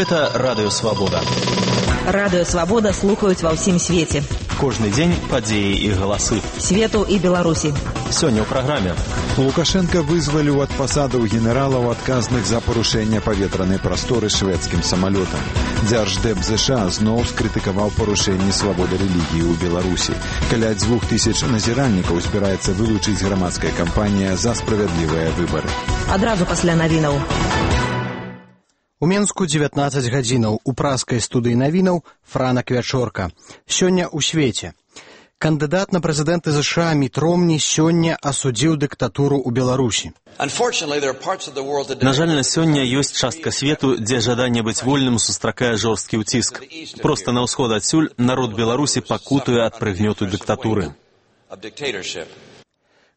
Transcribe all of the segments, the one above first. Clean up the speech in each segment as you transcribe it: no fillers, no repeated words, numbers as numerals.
Гэта Радыё Свабода. Радыё Свабода слухаюць ва ўсім свеце. Кожны дзень падзеі і галасы. Свету і Беларусі. Сёння ў праграме. Лукашенко вызваліў ад пасадаў генералаў, адказных за парушэнне паветранай прасторы шведскім самалётам. Дзярждэп ЗША зноў скрытыкаваў парушэнні свабоды рэлігіі ў Беларусі. Каля 2000 назіральнікаў збіраецца вылучыць грамадская кампанія за справядлівыя выбары. Адразу пасля навінаў. У Менску 19 гадзінаў. У праскай студыі навінаў Франак Вячорка. Сёння ў свеце. Кандыдат на прэзідэнты ЗША Міт Ромні сёння асудзіў дыктатуру ў Беларусі. На жаль, на сёння ёсць частка свету, дзе жаданне быць вольным сустракае жорсткі ўціск. Проста на ўсход адсюль народ Беларусі пакутуе ад прыгнёту дыктатуры.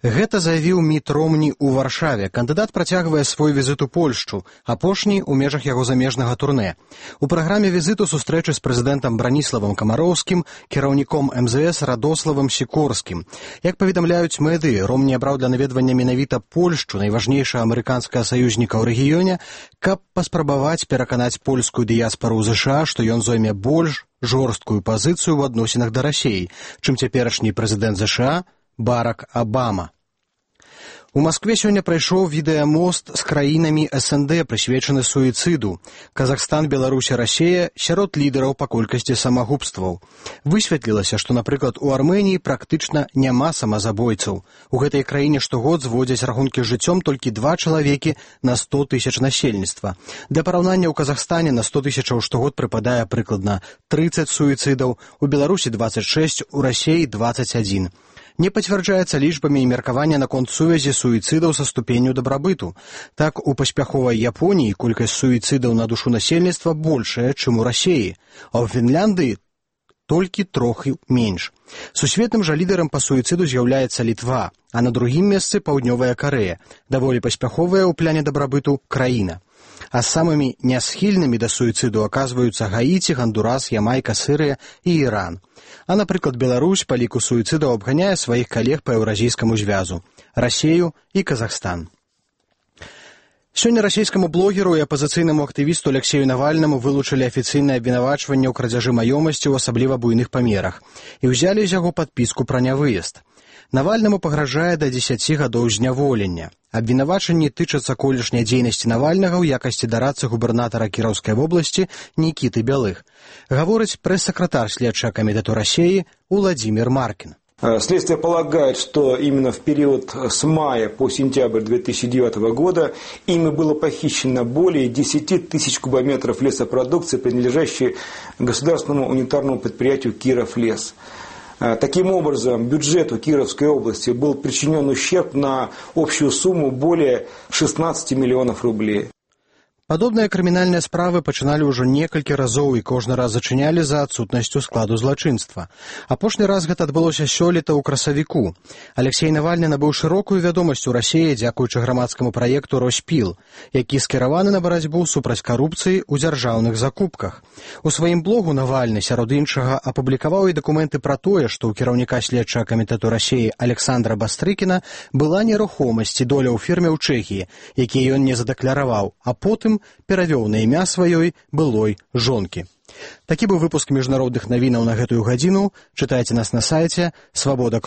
Гэта заявіў Міт Ромні ў Варшаве. Кандыдат працягвае свой візіт у Польшчу, апошні ў межах яго замежнага турнэ. У праграме візіту сустрэчы з прэзідэнтам Браніславам Камароўскім, кіраўніком МЗС Радославам Сікорскім. Як паведамляюць медыі, Ромні абраў для наведвання менавіта Польшчу, найважнейшага амерыканскага саюзніка ў рэгіёне, каб паспрабаваць пераканаць польскую дыяспару ў ЗША, што ён зойме больш жорсткую пазіцыю ў адносінах да Расіі, чым цяперашні прэзідэнт ЗША Барак Абама. У Маскве сёння прайшоў відэамост з краінамі СНД, прысвечаны суіцыду. Казахстан, Беларусь і Расія сярод лідараў па колькасці самагубстваў. Высветлілася, што, напрыклад, у Арменіі практычна няма самазабойцаў. У гэтай краіне штогод зводзяць рахункі з жыццём толькі 2 чалавекі на 100 тысяч насельніцтва. Для параўнання ў Казахстане на 100 тысячаў штогод прыпадае прыкладна 30 суіцыдаў, у Беларусі 26, у Расіі 21. Не пацвярджаецца лічбамі і меркавання наконт сувязі суіцыдаў са ступенню дабрабыту. Так, у паспяховай Японіі колькасць суіцыдаў на душу насельніцтва большая, чым у Расіі, а ў Фінляндыі толькі трохі менш. Сусветным жа лідарам па суіцыду з'яўляецца Літва, а на другім месцы Паўднёвая Карэя, даволі паспяховая ў пляне дабрабыту краіна. А самымі нясхільнымі да суіцыду аказваюцца Гаіці, Гандурас, Ямайка, Сірыя і Іран. А, напрыклад, Беларусь па ліку суіцыдаў абганяе сваіх калег па еўразійскаму звязу – Расію і Казахстан. Сёння расійскаму блогеру і апазіцыйнаму актывісту Алексею Навальнаму вылучылі афіцыйнае абвінавачванне ў крадзяжы маёмасці ў асабліва буйных памерах і ўзялі з яго падпіску пра нявыезд. Навальнаму пагражае да 10 гадоў зняволення. Абвінавачанні тычацца колішняй дзейнасці Навальнага ў якасці дарадцы губернатара Кіроўскай вобласці Нікіты Бялых. Гаворыць прэс-сакратар следчага камітэту Расіі Уладзімір Маркін. Следствие полагает, что именно в период с мая по сентябрь 2009 года ими было похищено более 10 тысяч кубометров лесопродукции, принадлежащей государственному унитарному предприятию «Кировлес». Таким образом, бюджету Кировской области был причинен ущерб на общую сумму более 16 миллионов рублей. Падобныя крымінальныя справы пачыналі ўжо некалькі разоў і кожны раз зачынялі за адсутнасцю складу злачынства. Апошні раз гэта адбылося сёлета ў красавіку. Алексей Навальны набыў шырокую вядомасць у Расіі дзякуючы грамадскаму праекту «Роспіл», які скіраваны на барацьбу супраць карупцыі ў дзяржаўных закупках. У сваім блогу Навальны, сярод іншага, апублікаваў і дакументы пра тое, што ў кіраўніка следчага камітэту Расіі Александра Бастрыкіна была нерухомасць і доля ў фірме ў Чэхіі, якія ён не задакляраваў, а потым перавёў на імя сваёй былой жонкі. Такі быў выпуск міжнародных навінаў на гэтую гадзіну. Чытайце нас на сайце Свабода.